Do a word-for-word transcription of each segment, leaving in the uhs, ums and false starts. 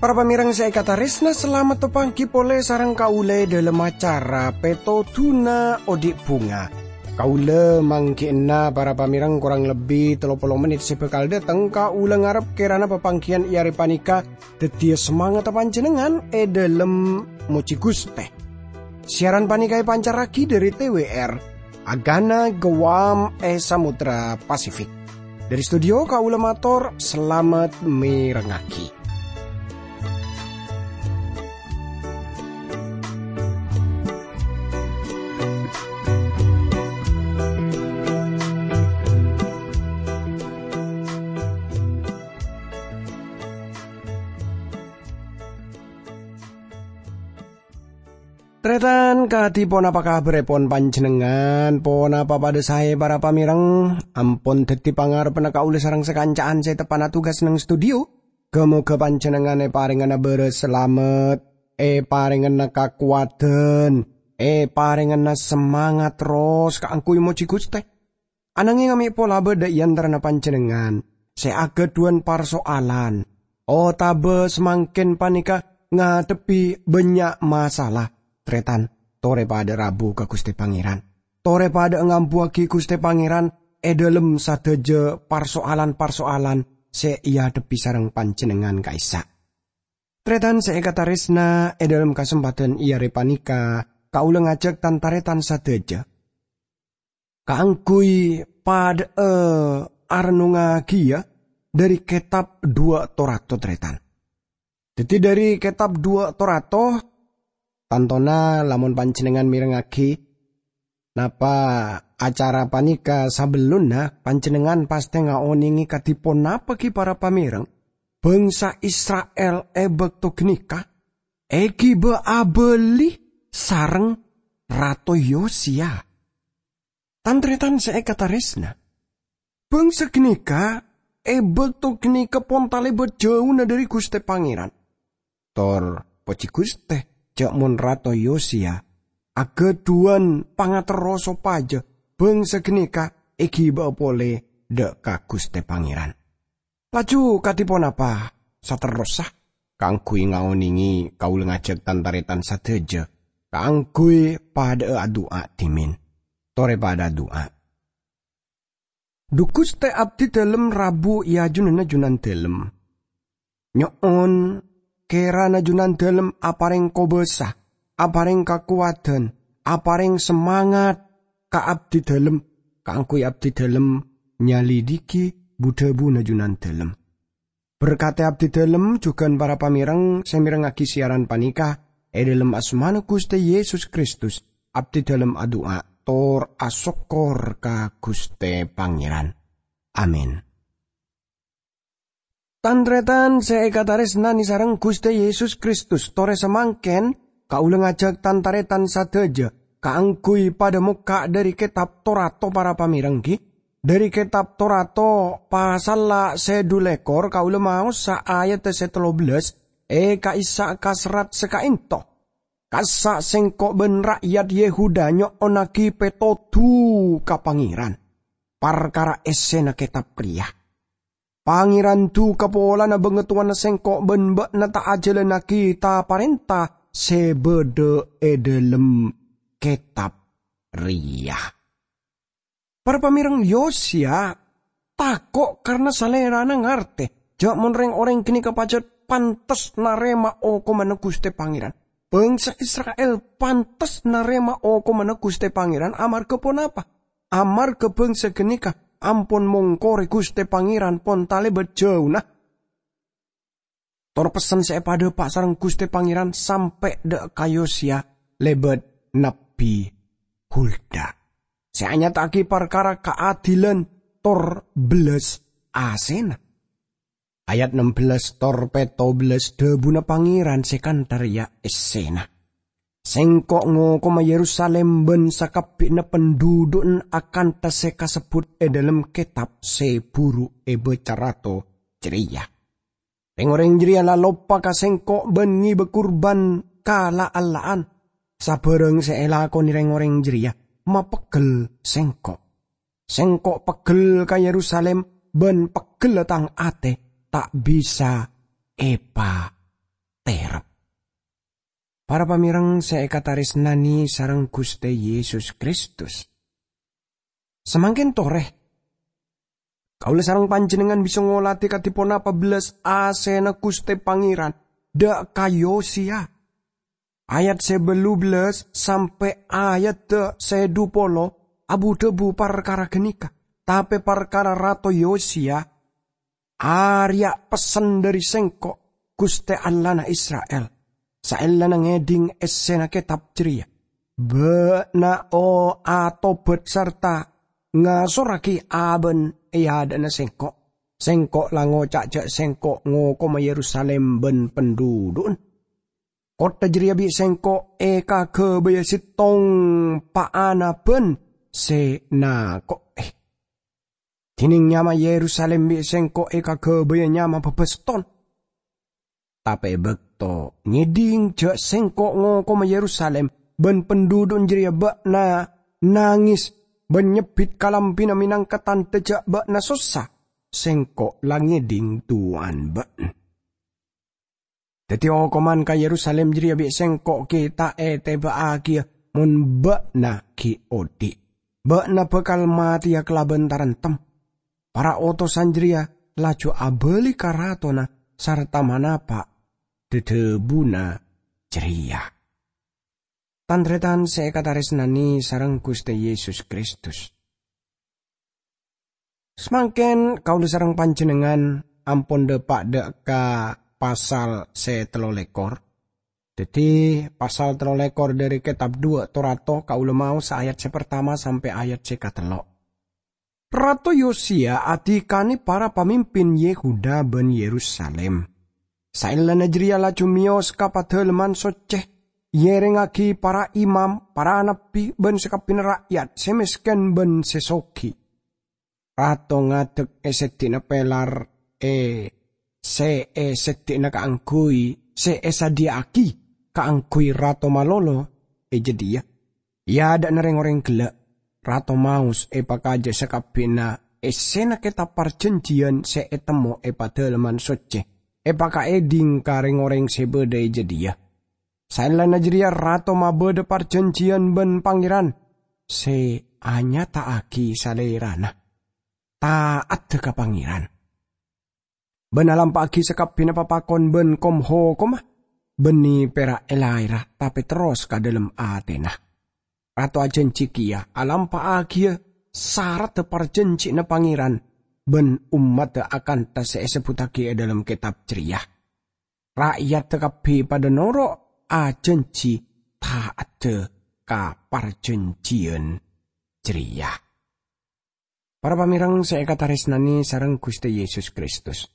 Para pamèrèng sè èkatarèsna, salamet paghi polè sareng kaulâ è dhâlem acara Pètodhuna Odi' Bhunga. Kaulâ mangghi'na para pamèrèng korang lebbi tello polo mennit sè bhâkal dâteng. Kaulâ ngarep kèrana papangghiyân è arè panèka dhâddhiyâ samangatta panjhennengngan è dhâlem mojhi Ghustè. Siaran panèka èpancarraghi dhâri T W R, Agana Guam è Samudra Pasifik. Dhâri studio kaulâ mator salamet mèrengngaghi. Tarètan, kadhi ponapa kabhârrèpon panjhennengngan? Ponapa padâ saè, para pamèrèng? Ampon dhâddhi pangarebbhânna kaulâ sareng sakanca'an sè teppa'na tugas neng studio. Ghâ-moghâ panjhennengngan èparèngana bârâs salamet, èparèngana kakowadhân, èparèngana samangat terros kaangghuy mojhi Ghustè. Ananghèng mè' pola bâdâ è antarana panjhennengngan sè aghâdhuwân parsoalan, otabâ samangkèn panèka ngadhebbhi bânnya' masalah, tarètan, torè padâ rabu ka Ghustè Pangèran. Torè padâ ngambuwâghi Ghustè Pangèran è dhâlem sadhâjâ parsoalan-parsoalan sè èadhebbhi sareng panjhennengngan ka'issa'. Tarètan sè èkatarèsna, è dhâlem kasempadhân è arè panèka, kaulâ ngajhâk tan-tarètan sadhâjâ kaangghuy padâ'â arennongngaghiyâ dhâri kètab Duwâ' Torato, tarètan. Dhâddhi, dhâri kètab Duwâ' Torato, tantona lamon panjhennengngan mèrengngaghi napa acara panèka sabellunna, panjhennengngan pastè ngaonèngè kadhi ponapa ghi, para pamèrèng, bhângsa Isra'il è bâkto ghânèka èghibâ abâli sareng Rato Yosiya. Tan-tarètan sè èkatarèsna, bhângsa ghânèka è bâkto ghânèka pon talèbât jhâuna dhâri Ghustè Pangèran. Tor, pojhi Ghustè, jhâ' mon Rato Yosiya aghâdhuwân pangaterro sopajâ bhângsa ghânèka èghibâ'â polè dâ' ka Ghustè Pangèran. Laju kadhi ponapa saterrossa? Kaangghuy ngaonèngè, kaulâ ngajhâk tan-tarètan sadhâjâ kaangghuy padâ'â adu'a dhimèn. Torè padâ adu'a. Dhu Ghustè, abdhidhâlem rabu è ajunanna Junandhâlem. Nyo'on, kèrana Junandhâlem aparèng kobâsa, aparèng kakowadhân, aparèng samangat ka abdhidhâlem, kaangghuy abdhidhâlem nyalidhighi bu-dhâbuna Junandhâlem. Berkadhi abdhidhâlem jhughân para pamèrèng sè mèrengngaghi siaran panèka, è dhâlem asmana Ghustè Yesus Kristus, abdhidhâlem adu'a tor asokkor ka Ghustè Pangèran. Amin. Tan-tarètan sè èkatarèsnanè sareng Ghustè Yesus Kristus, torè samangkèn kaulâ ngajhâk tan-tarètan sadhâjâ kaangghuy padâ mokka' dhâri kètab Torato, para pamèrèng, ghi. Dhâri kètab Torato, pasalla sè dhu lèkor, kaulâ maosa ayadda sè tello bellâs, è ka'issa' ka serrat sè ka'ènto. Kassa' sèngko' bân ra'yat Yehuda nyo'onnaghi pètodhu ka Pangèran parkara èssèna kètab rèya. Pangèran duka polana bângatowana sèngko' bân bâ'na ta' ajhâlânnaghi ta-parènta sè bâdâ è dhâlem kètab rèya. Para pamèrèng, Yosiya tako' karna salèrana ngartè jhâ' mon rèng-orèng ghânèka pajhât pantes narèma okomanna Ghustè Pangèran. Bhângsa Isra'il pantes narèma okomanna Ghustè Pangèran amarghâ ponapa? Amarghâ bhângsa ghânèka ampon mongkorè Ghustè Pangèran pon talèbât jhâuna. Tor pessen sè èpadhâpa' sareng Ghustè Pangèran sampè' dâ' ka Yosiya lèbât Nabbhi Hulda, sè anyata'aghi parkara kaadilan tor bellas asèna. Ayat nem bellâs tor pètto bellâs dhâbuna Pangèran sè kantha rèya èssèna, "Sèngko' ngokoma Yerusalim bân sakabbhiyânna pandhudhu'na akantha sè kasebbhut è dhâlem kètab sè buru èbâca rato jârèya." Reng-oreng jareya la loppa ka Sengko' ban ngeba kurban ka la'-ella'an. Sabârâng se elakone reng-oreng jareya mapeggel Sengko'. Sengko' peggel ka Yerusalim, ban peggella tang ate ta' bisa epaterep. Para pamereng se ekataresnane sareng Guste Yesus Kristus, samangken tore, kaula sareng panjennengngan bisa ngoladi kadi ponapa bellas asena Guste Pangeran dha' ka Yosiya. Ayat se ballu bellas sampe' ayat se dhu polo abu-dhabu parkara ganeka, tape parkara Rato Yosiya, "Areya' pessen dhari Sengko', Guste Allahna Isra'il, saellana ngedhing essena ketab jareya. Ba'na o-, atobat sarta ngasorragi aba'na e adha'na Sengko'. Sengko' la ngoca' ja' Sengko' ngokoma Yerusalim ban pandhudhu'na. Kottha jareya bi' Sengko' ekagabaya settong pa'anaban se nako'e. Dineng nyama Yerusalim bi' Sengko' ekagabaya nyama babaston. Tape e bakto ngedhing ja' Sengko' ngokoma Yerusalim ban pandhudhu'na jareya, ba'na nanges ban nyebbit kalambina menangka tandha ja' ba'na sossa. Sengko' la ngedhing du'ana ba'na. Daddi, okoman ka Yerusalim jareya bi' Sengko' gi' ta' eteba'agiya mon ba'na gi' odhi'. Ba'na bakal mateya kalaban taremtem." Para otosan jareya laju abali ka ratona sarta manapa' dhadhabuna jareya. Tan-taretan se ekataresnane sareng Guste Yesus Kristus, samangken kaula sareng panjennengngan ampon dha'-, pa-, dha' ka pasal se tello lekor. Daddi, pasal tello lekor dhari Ketab Dhuwa' Torato, kaula maos ayat se partama sampe' ayat se katello'. Rato Yosiya adikane para pamimpin Yehuda ban Yerusalim. Saellana jareya laju meyos ka Padalemman Socce, eerengngagi para imam, para nabbi, ban sakabbina ra'yat se mesken ban se sogi. Rato ngadek e seddi'na pelar e se e seddi'na kaangguy se esadhiya'agi kaangguy rato malolo e jadhiya. E adha'na reng-oreng gella', rato maos epakaja sakabbina essena Ketab Parjanjiyan se etemmo e Padalemman Socce, epakaedhing ka reng-oreng se badha e jadhiya. Saellana jareya rato mabadha parjanjiyan ban Pangeran se anyata'agi salerana, ta'adda ka Pangeran, ban alampa'agi sakabbina papakon ban kom-hokomma, banne pera' elaera, tape terros ka dhalem atena. Rato ajanji keya alampa'agiya saradda parjanjina Pangeran ban ommadda akantha se esebbuttagi e dhalem ketab jareya. Ra'yadda kabbi padha noro' ajanji ta'adda ka parjanjiyan jareya. Para pamereng se ekataresnane sareng Guste Yesus Kristus,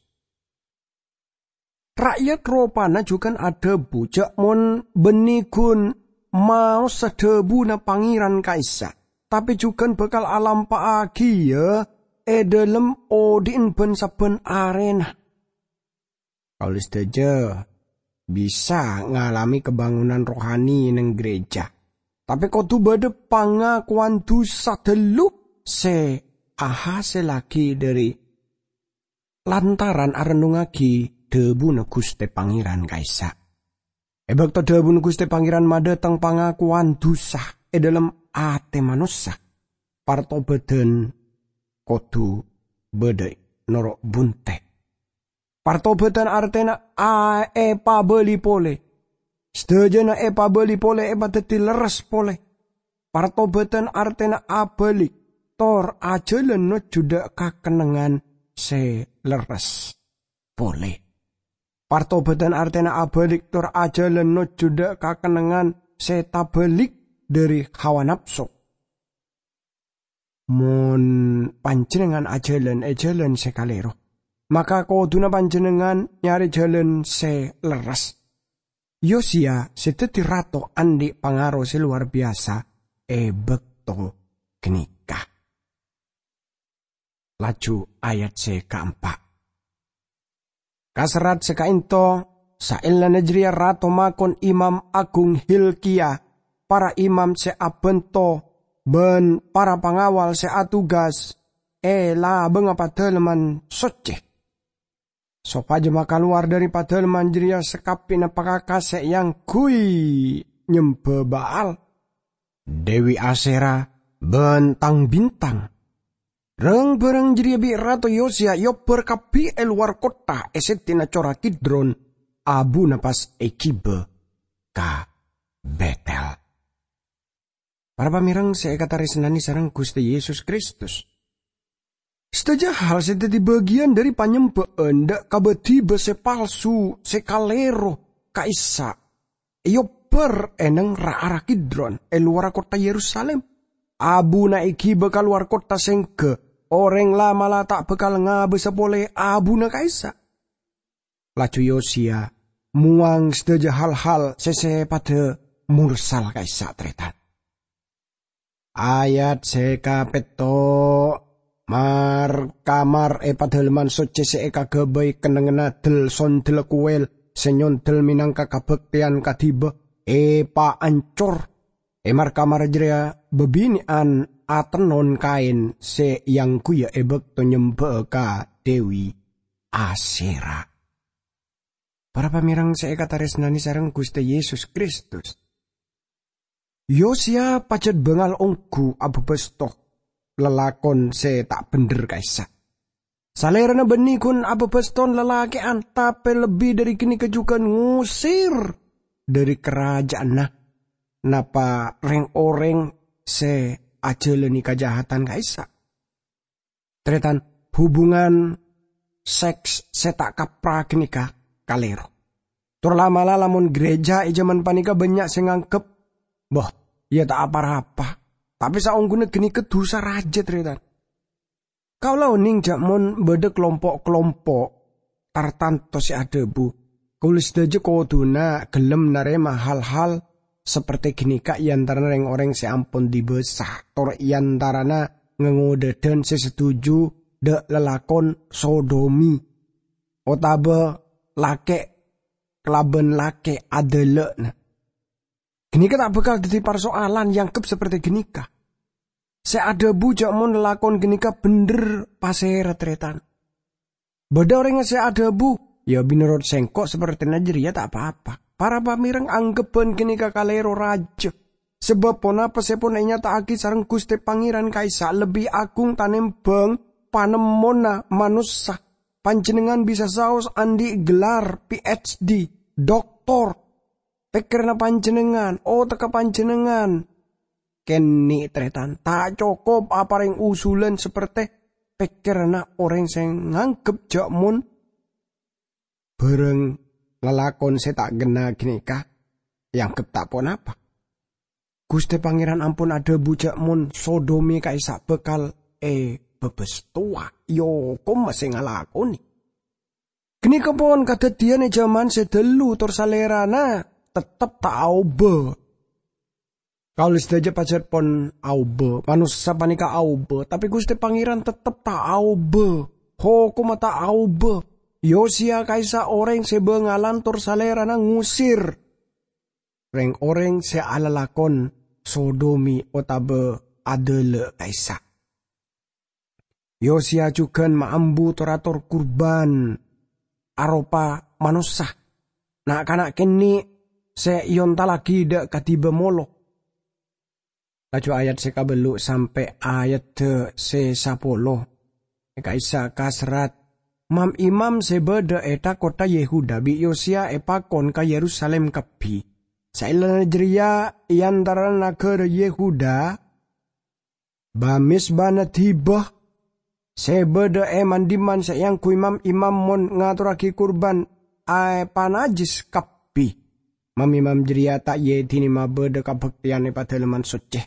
ra'yat ropana jugan adhabu ja' mon banne gun maosa dhabuna Pangeran ka'issa', tape jugan bakal alampa'agiya e dhalem odhi'na ban-sabban arena. Kaula sadaja bisa ngalame kabangunan rohani neng gereja, tape kodu badha pangakowan dusa tello se ahasellagi dhari lantaran arennungngagi dhabuna Guste Pangeran ka'issa'. E bakto dhabuna Guste Pangeran madhateng pangakowan dusa e dhalem ate manossa, partobadan kodu badha noro' bunte'. Partobadan artena a-, epabali pole. Sadajana epabali pole epadaddi lerres pole. Partobadan artena abalik, tor ajalan nojjhu dha' ka kennengngan se lerres pole. Partobadan artena abalik tor ajalan nojjhu dha' ka kennengngan se tabalik dhari hawa napso. Mon panjennengngan ajalan e jalan se kalero, maka koduna panjennengngan nyare jalan se lerres. Yosiya se daddi rato andhi' pangaro se lowar biyasa e bakto ganeka. Laju ayat se kaempa'. Kaserrat sè kaènto, saellana jârèya rato makon Imam Agung Hilkia, para imam sè abhânto, bân para pangawal sè atugas è labângnga Padalemman Soccè, sopajâ makalowar dâri Padalemman jârèya sakabbhiyânna pakaka sè èangghuy nyembâ Baal, Dewi Asera, bân tang-bintang. Rang-barang jârèya bi' Rato Yosiya èobbhâr kabbhi è lowar kottha è seddi'na Cora Kidron, abuna pas èghibâ ka Betel. Para pamèreng sè èkatarèsnanè sareng Ghustè Yesus Kristus, sadhâjâ hal sè dhâddhi bâgiyân dâri panyembâ'ân dâ' ka bâdhibâ sè palsu, sè kalèro ka'issa', èobbhâr è neng ra-ara Kidron è lowarra kottha Yerusalim. Abuna èghibâ ka lowar kottha sèngghâ orèng la'-mala' ta' bhâkal ngabâsa polè abuna ka'issa'. Laju Yosiya mowang sadhâjâ hal-hal sè sèpaddhâ morsal ka'issa', tarètan. Ayat sè kapètto', mar-kamar è Padalemman Soccè sè èkaghâbây kennengnganna del-sondella kowèl sè nyondel mènangka kabhâktèyan kadhibâ èpaancor. È mar-kamar jârèya bâbinè'an atennon kaèn sè èangghuyâ è bâkto nyembâ'â ka Dewi Asera. Para pamèreng sè èkatarèsnanè sareng Ghustè Yesus Kristus, Yosiya pajhât bângal ongghu abâbâsto lalakon sè ta' bhendher ka'issa'. Salèrana bânnè ghun abâbâston lalakè'an, tapè lebbi dâri ghânèka jhughân ngosèr dâri karajâ'ânna napa rèng-orèng sè ajhâlânè kajahadhân ka'issa'. Tarètan, hubungan seks sè ta' kaprah ghânèka kalèro. Tor la'-mala' lamon ghârèjâ è jhâman panèka bânnya' sè nganggep, "Bâh, iyâ ta' pa-rapa." Tapè saongghuna ghânèka dhusa rajâ, tarètan. Kaulâ onèng jâ' mon bâdâ kalompo'-kalompo' tartanto sè adhâbu, "Kaulâ sadhâjâ kodhuna ghellem narèma hal-hal sapertè ghânèka è antarana rèng-orèng sè ampon dibâsa, tor è antarana ngangodâdhân sè setuju dâ' lalakon sodomi, otabâ lakè' kalabân lakè' adâlâ'na." Ghânèka ta' bhâkal dhâddhi parsoalan èangghep sapertè ghânèka. Sè adhâbu jâ' mon lalakon ghânèka bhendher pasèra, tarètan. Bâdâ orèng sè adhâbu, "Iyâ, mènorot sèngko' sapertèna jârèya ta' pa-apa." Para pamèreng, angghep bân ghânèka kalèro rajâ. Sabâb ponapa sè pon ènyata'aghi sareng Ghustè Pangèran ka'issa' lebbi agung tanèmbhâng panemmona manossa. Panjhennengngan bisa saos andi' gelar P H D, doktor. Pèkkèranna panjhennengngan, otegghâ panjhennengngan kènè', tarètan, ta' cokop aparèng usulan sapertè pèkkèranna orèng sè nganggep jâ' mon bârâng lalakon sè ta' ghenna ghânèka èangghep ta' ponapa. Ghustè Pangèran ampon adhâbu jâ' mon sodomi ka'issa' bhâkal èbâbâstowa, èokom sè ngalakonè. Ghânèka pon kadhâddhiyân è jhâman sè dhâllu, tor Salèrana tettep ta' aobâ. Kaulâ sadhâjâ pajhât pon aobâ, manossa panèka aobâ, tapè Ghustè Pangèran tettep ta' aobâ. Hokomma ta' aobâ. Yosiya ka'issa' orèng sè bângalan, tor Salèrana ngosèr rèng-orèng sè alalakon sodomi otabâ adâlâ ka'issa'. Yosiya jhughân maambu tor-ator kurbân aropa manossa, na'-kana' kènè' sè èontallaghi dâ' kadhibâ molo. Laju ayat sè kabâllu' sampè' ayadda sè sapolo. È ka'issa' kaserrat, mam-imam sè bâdâ è tha-kottha Yehuda bi' Yosiya èpakon ka Yerusalim kabbhi. Saellana jârèya, è antarana naghârâ Yehuda, bâ-mèsbâna dhiba sè bâdâ è man-dhimman sè èangghuy mam-imam mon ngatorraghi kurbân èpanajjhis kabbhi. Mam-imam jârèya ta' èedhini mabâdâ kabhâktèyan è Padalemman Soccè.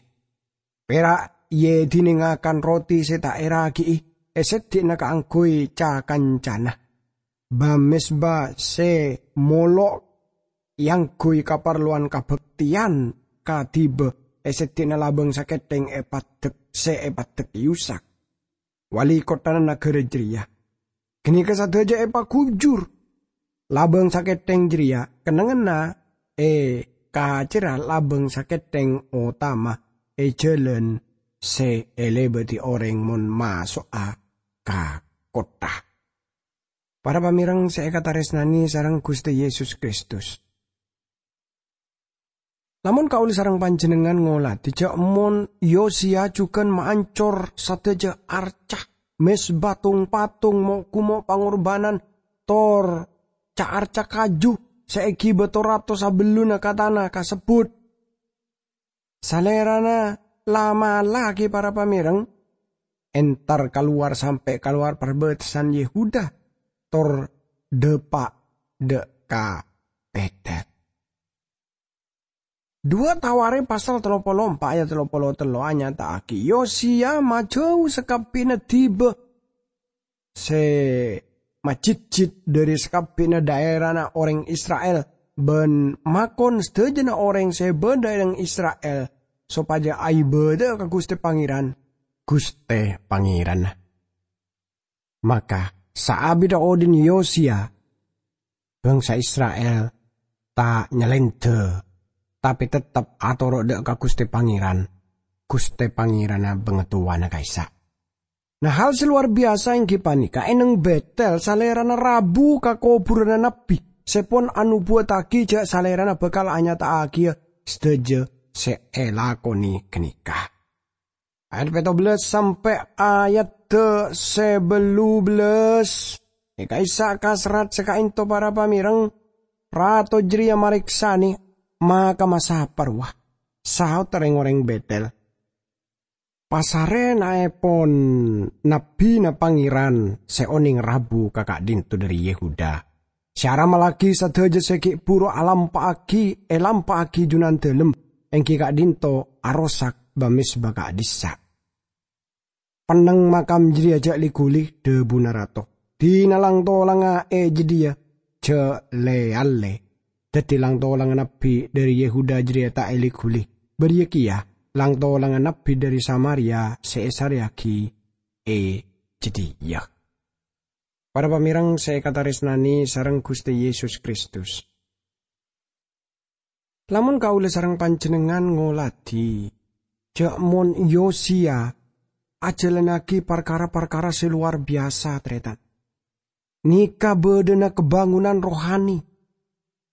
Pèra' èedhini ngakan roti sè ta' èraghi'i è seddi'na kaangghuy ca-kancana. Bâ-mèsbâ sè molo èangghuy kaparlowan kabhâktèyan kadhibâ è seddi'na labâng sakèthèng èpaddhek-, sè èpaddhek èosak. Wali kotthana naghârâ jârèya. Ghânèka sadhâjâ èpaghujur. Labâng sakèthèng jârèya kennengnganna è kacèra labâng sakèthèng otama è jhâlân sè èlèbâdhi orèng mon maso'a ka kottha. Para pamèreng sè èkatarèsnanè sareng Ghustè Yesus Kristus. Lamon kaulâ sareng panjhennengngan ngolatè jhâ' mon Yosiya jhughân maancor sadhâjâ arca, mezba, tong-patong, mo'-kumo' pangorbhânan, tor ca-arca kaju sè èghibâ to-rato sabellunna ka tana kasebbhut. Salèrana la-mala ghi para pamèreng, entar kalowar sampè' kalowar parbâtasan Yehuda, tor dâpa' dâ' ka Bètel. Duwâ' Tawarikh pasal tello polo empa' ayat tello polo tello anyata'aghi, Yosiya majâu sakabbhina dhiba sè majhidhjhid dhâri sakabbhina dhaèrana orèng Isra'il, bân makon sadhâjâna orèng sè bâdâ è Isra'il sopajâ aibâdâ'â ka Ghustè Pangèran, Ghustè Pangèranna. Maka, saabiddhâ odhi'na Yosiya, bhângsa Isra'il ta' nyalèndhâ, tapè teptep atoro' dâ' ka Ghustè Pangèran, Ghustè Pangèranna bhângatowana ka'issa'. Nah, hal sè lowar biyasa èngghi panèka, è nèng Bètel Salèrana rabu ka kobhurânna nabbhi sè pon anobuwâttaghi jhâ' Salèrana bhâkal anyata'aghiyâ sadhâjâ sè èlakonè ghânèka. Ayat pètto bellâs sampè' ayat sè bâllu bellâs. È ka'issa' kaserrat sè ka'ènto para pamèreng, rato jârèya marèksanè makamma sapa rowa. Saodda rèng-orèng Bètel, "Pasarènaèpon nabbhina Pangèran sè onèng rabu ka ka'dinto dhâri Yehuda, sè aramallaghi sadhâjâ sè ghi' bhuru alampa'aghi, èlampa'aghi Junandalem, èngghi ka'dinto arosak ba-mezba ka'dhissa'." "Pennèng makam jârèya jhâ' li-ghuli," dhâbuna rato. "Dina lang-tolangnga è jâdiyâ jhâ' lè-allè." Dhâddhi lang-tolangnga nabbhi dhâri Yehuda jârèya ta' èli-ghuli. Bâriyâ kèya lang-tolangnga nabbhi dhâri Samaria sè èsarèyaghi è jâdiyâ. Para pamèreng sè èkatarèsnanè sareng Ghustè Yesus Kristus. Lamon kaulâ sareng panjhennengngan ngolatè, jhâ' mon Yosiya ajhâlannaghi parkara-parkara sè lowar biyasa, tarètan. Nèka bâdâna kabângonanna rohani.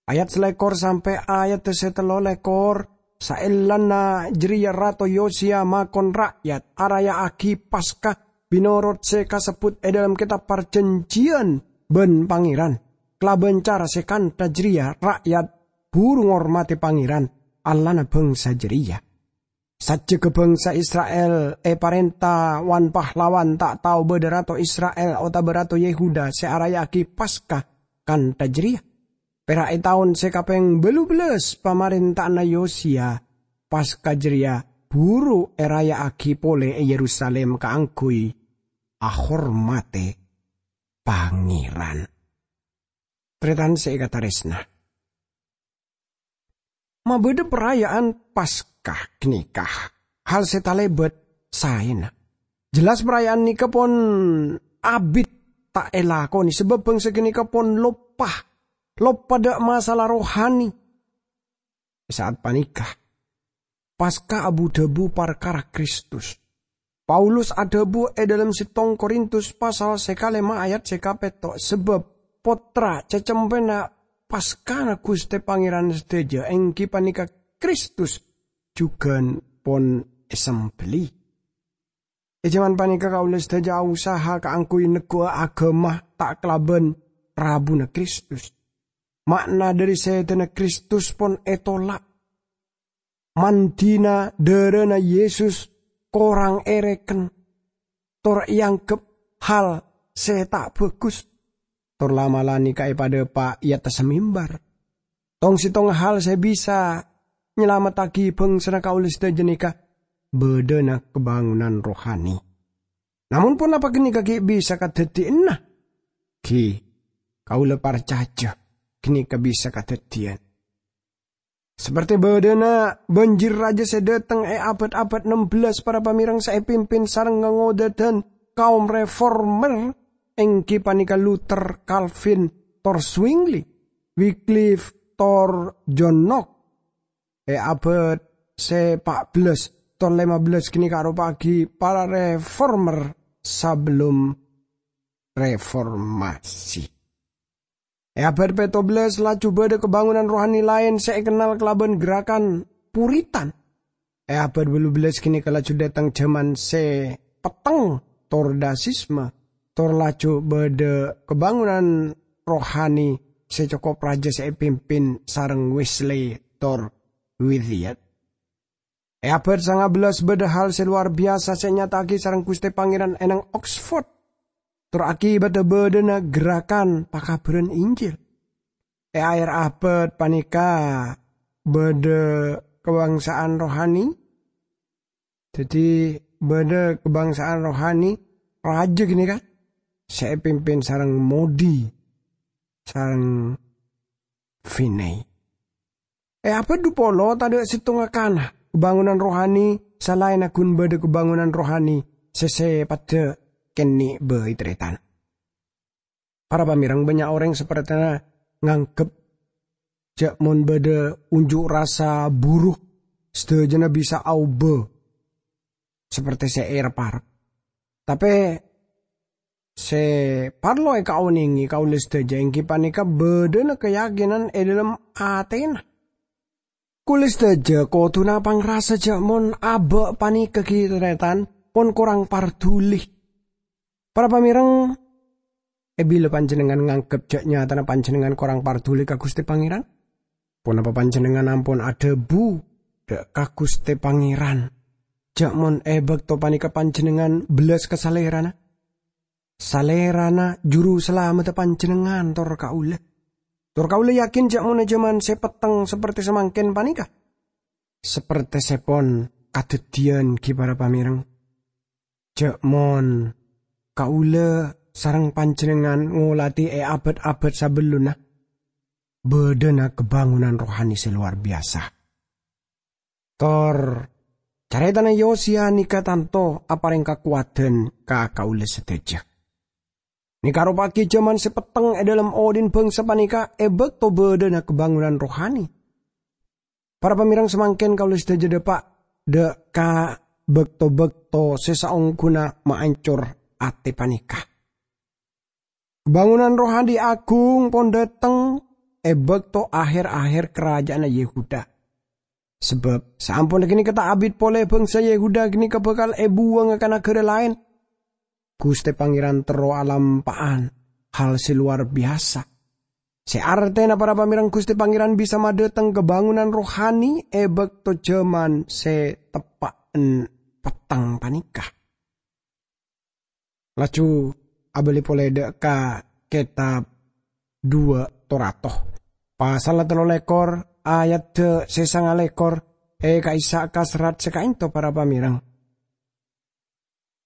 Ayat salèkor sampè' ayat sè tello lèkor, saellana jârèya Rato Yosiya makon ra'yat araya'aghi Paska mènorot sè kasebbhut è dâlem Kètab Parjhânjhiyân bân Pangèran. Kalabân cara sè kantha jârèya, ra'yat buru ngormadhi Pangèran, Allahna bhângsa jârèya. Sajjhegghâ bhângsa Isra'il èparènta wan-pahlawan ta' tao bâdâ rato Isra'il otabâ rato Yehuda sè araya'aghi Paska kantha jârèya. Pèra' è taon sè kapèng bâllu bellâs pamarènta'anna Yosiya, Paska jârèya buru èraya'aghi polè è Yerusalim kaangghuy ahormadhi Pangèran. Tarètan sè èkatarèsna, mabâdâ paraya'an Paska ghânèka hal sè talèbât saèna. Jelas paraya'an nèka pon abit ta' èlakonè, sabâb bhângsa ghânèka pon loppa, loppa dâ' masalah rohani. È sa'at panèka, Paska abu-dhâbu parkara Kristus. Paulus adhâbu è dâlem settong Korintus pasal sè kalèma ayat sè kapètto', sabâb pottra cacempèna Paskana Ghustè Pangèran sadhâjâ, èngghi panèka Kristus, jhughân pon èsembelli. È jhâman panèka kaulâ sadhâjâ ausaha kaangghuy neggu'a aghâma ta' kalabân rabuna Kristus. Ma'na dhâri sèdhâna Kristus pon ètola'. Mandhina dârâna Yesus korang èrèken, tor èangghep hal sè ta' bhâghus, tor la'-mala' nèka èpadâpa' è attassa mimbar. Tong-settong hal sè bisa nyalamettaghi bhângsana kaulâ sadhâjâ nèka bâdâna kabângonan rohani. Namong ponapa ghânèka ghi' bisa kadhâddhiyânna? Ghi, kaulâ parcajâ ghânèka bisa kadhâddhiyân. Sapertè bâdâna bânjir rajâ sè dâteng è abâd-abâd nem bellâs, para pamèreng sè èpimpin sareng ngangodâdhân kaum reformer, èngghi panèka Luther, Calvin, tor Zwingli, Wycliffe tor John Knox. È abâd sè pa' bellâs tor lèma bellâs ghânèka aropa'aghi para reformer sabellun reformasi. È abâd pètto bellâs laju bâdâ kabângonan rohani laèn sè èkennal kalabân gerakan Puritan. È abâd bâllu bellâs ghânèka laju dâteng jhâman sè petteng tor Dasisme, tor laju bâdâ kabângonan rohani sè cokop rajâ sè èpimpin sareng Wesley tor Whittier. È abâd sanga bellâs bâdâ hal sè lowar biyasa sè ènyata'aghi sareng Ghustè Pangèran è nang Oxford, tor akibatta bâdâna gerakan pakabhârân Injil. È aher abâd panèka bâdâ kabangsaan rohani. Dhâddhi, bâdâ kabangsaan rohani rajâ ghânèka sè èpimpin sareng Moody sareng Finney. È abâd dhu polo tadâ' sèttonga kana kabângonan rohani salaènna ghun bâdâ kabângonan rohani sè sèpaddhâ kènè' bhâi tarètan. Para pamèreng, bânnya' orèng sapèrtèna nganggep jhâ' mon bâdâ unjuk rasa buru, sadhâjâna bisa aobâ sapèrtè sè èrep-arep. Tapè sè parlo èkaonèngè kaulâ sadhâjâ èngghi panèka bâdâna kayakinan è dhâlem atèna. Kaulâ sadhâjâ kodhuna pangrasa jhâ' mon abâ' panèka ghi' tarètan pon korang parduli. Para pamèreng, è bilâ panjhennengngan nganggep jhâ' nyatana panjhennengngan korang parduli ka Ghustè Pangèran? Ponapa panjhennengngan ampon adhâbu dâ' ka Ghustè Pangèran jhâ' mon è bâkto panèka panjhennengngan bellas ka Salèrana? Salèrana Juru Salameddhâ panjhennengngan tor kaulâ. Tor kaulâ yakin jhâ' mon è jhâman sè petteng saperte samangkèn panèka, saperte sè pon kadhâddhiyân ghi' para pamèreng, jhâ' mon kaulâ sareng panjhennengngan ngolatè è abâd-abâd sabellunna, bâdâna kabângonan rohani sè lowar biyasa. Tor carètana Yosiya nèka tanto aparèng kakowadhân ka kaulâ sadhâjâ. Nèka aropa'aghi jhâman sè petteng è dhâlem odhi'na bhângsa panèka è bâkto bâdâna kabângonan rohani. Para pamèreng, samangkèn kaulâ sadhâjâ dâpa' dâ' ka bâkto-bâkto sè saongghuna maancor atè panèka. Kabângonan rohani aghung pon dâteng è bâkto aher-aher karaja'anna Yehuda. Sabâb saamponna ghânèka ta' abit polè bhângsa Yehuda ghânèka bhâkal èbuwângnga ka naghârâ laèn. Ghustè Pangèran terro alampa'an hal sè lowar biyasa. Sè artèna, para pamèreng, Ghustè Pangèran bisa madâteng kabângonan rohani è bâkto jhâman sè teppa'en petteng panèka. Laju abâli polè dâ' ka kètab duwâ' to rato. Pasalla tello lèkor, ayadda sè sangalèkor, è ka'issa' ka serrat sè ka'ènto, para pamèreng.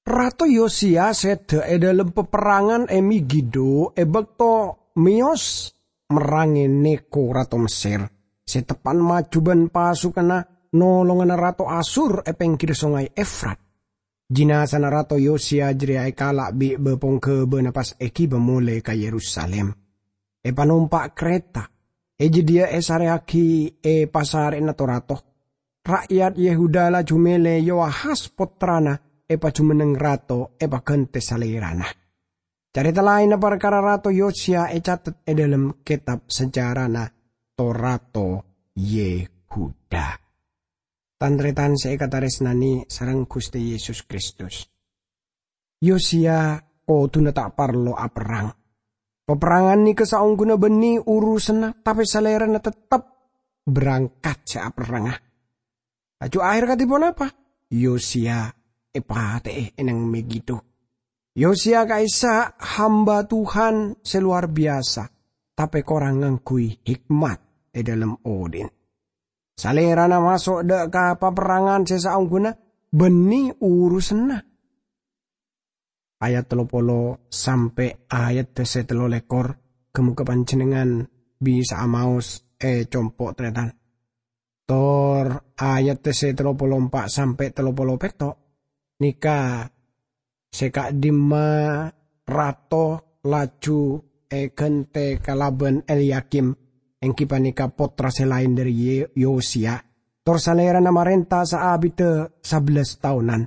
Rato Yosiya sèdhâ è dhâlem paperrangan è Megido è bâkto mèyos merrangè Neko rato Messèr, sè teppa'en maju bân pasukanna nolongana rato Asur è pèngghirra Songay Efrat. Jinazana Rato Yosiya jârèya èkala' bi' bâ-pongghâbâna pas èghibâ molè ka Yerusalim. Èpanompa' karèta, è jâdiyâ èsarèyaghi è pasarè'na to-rato. Ra'yat Yehuda laju mèlè Yoahas pottrana èpajumenneng rato èpaghântè salèrana. Carèta laènna parkara Rato Yosiya ècatet è dhâlem kètab sejarana to-rato Yehuda. Tan-tarètan sè èkatarèsnanè sareng Ghustè Yesus Kristus. Yosiya kodhuna ta' parlo aperrang. Paperrangan nèka saongghuna bânnè urusanna, tapè salèrana tettep berangkat sè aperranga. Laju aher kadhi ponapa? Yosiya èpatè'è è nang Megido. Yosiya ka'issa' hamba Tuhan sè lowar biyasa, tapè korang ngangghuy hikmat è dhâlem odhi'na. Salèrana maso' dâ' ka paperrangan sè saongghuna bânnè urusanna. Ayat tello polo sampè' ayat sè tello lèkor, ghâ-mogâ panjhennengngan bisa'a maos è compo' tarètan. Tor ayat sè tello polo empa' sampè' tello polo pètto', nèka sè ka'dimma rato laju èghântè kalabân Elyakim, èngghi panèka pottra sè laèn dhâri Ye-, Yosiya, tor salèrana marènta saabidhâ sabellâs taonan.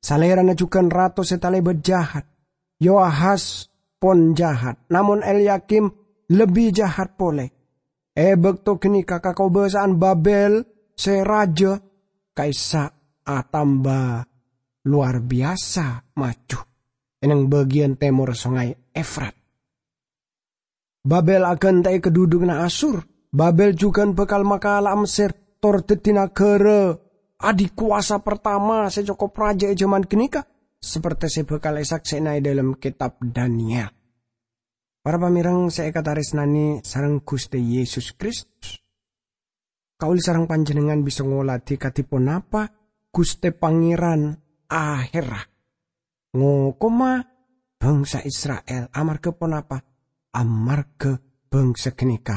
Salèrana jhughân rato sè talèbât jahat. Yoahas pon jahat, namong Elyakim lebbi jahat polè. È bâkto ghânèka kakobâsa'an Babel sè rajâ ka'issa' atamba lowar biyasa maju è neng bâgiyân tèmor Songay Efrat. Babel aghântè'è kadhudhughânna Asur. Babel jhughân bhâkal makala'a Messer, tor dhâddhi naghârâ adikowasa partama sè cokop rajâ è jhâman ghânèka, saperte sè bhâkal èsaksè'ana è dhâlem Kètab Daniel. Para pamèreng sè èkatarèsnanè sareng Ghustè Yesus Kristus. Kaulâ sareng panjhennengngan bisa ngolatè kadhi ponapa Ghustè Pangèran ahèrra ngokoma bhângsa Isra'il. Amarghâ ponapa? Amarghâ bhângsa ghânèka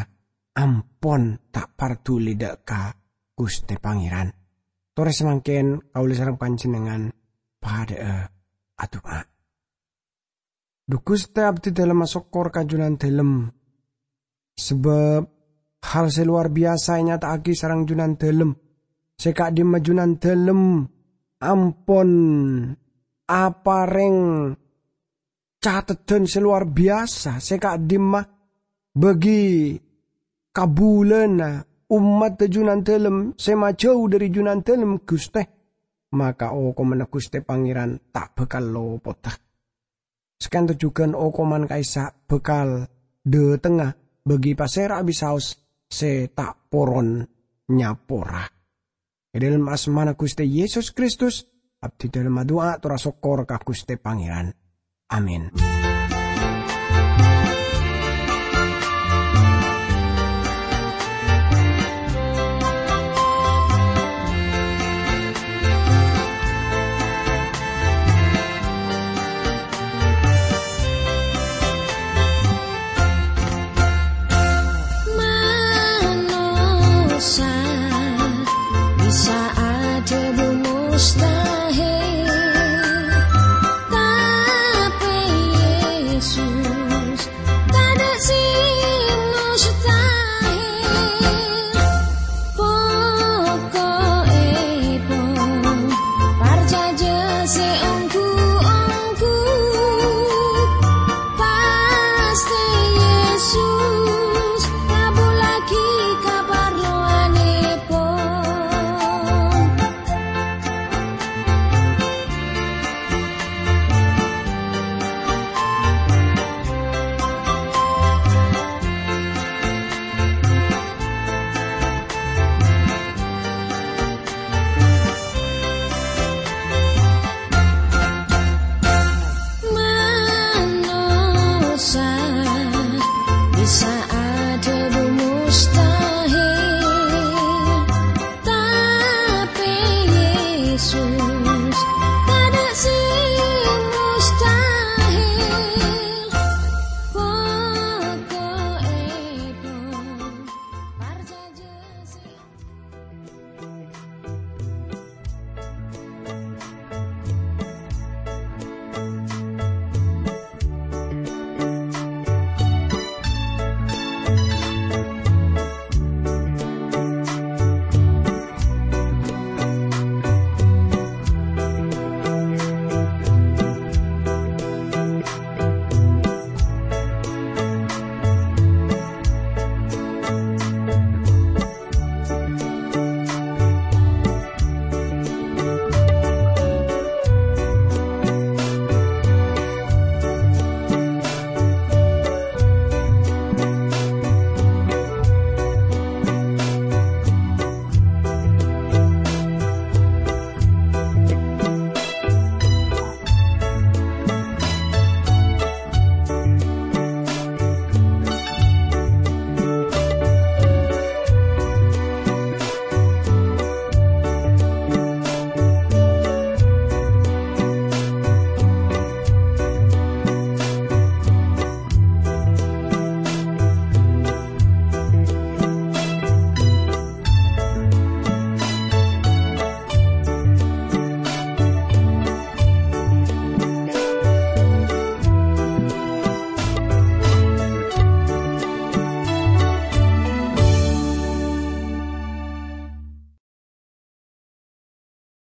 ampon ta' parduli dhâ' ka Ghustè Pangèran. Torè samangkèn kaulâ sareng panjhennengngan padhâ'â adu'a. Dhu Ghustè, abdhi dhâlem asokkor ka Jhunandhâlem, sabâb hal sè lowar biyasa ènyata'aghi sareng Jhunandhâlem. Sè ka'dhimma Jhunandhâlem ampon aparèng cateddhân sè lowar biyasa, sè ka'dhimma bâgi kabulâna ommadhâ Jhunandhâlem sè majâu dhâri Jhunandhâlem, Ghustè. Maka okomanna Ghustè Pangèran ta' bhâkal lopodhâ. Sakènto jhughân okoman ka'issa' bhâkal dhâtengnga bâgi pasèra bisaos sè ta' poron nyapora. È dhâlem asmana Ghustè Yesus Kristus, abdhi dhâlem adu'a tor asokkor ka Ghustè Pangèran. Amin.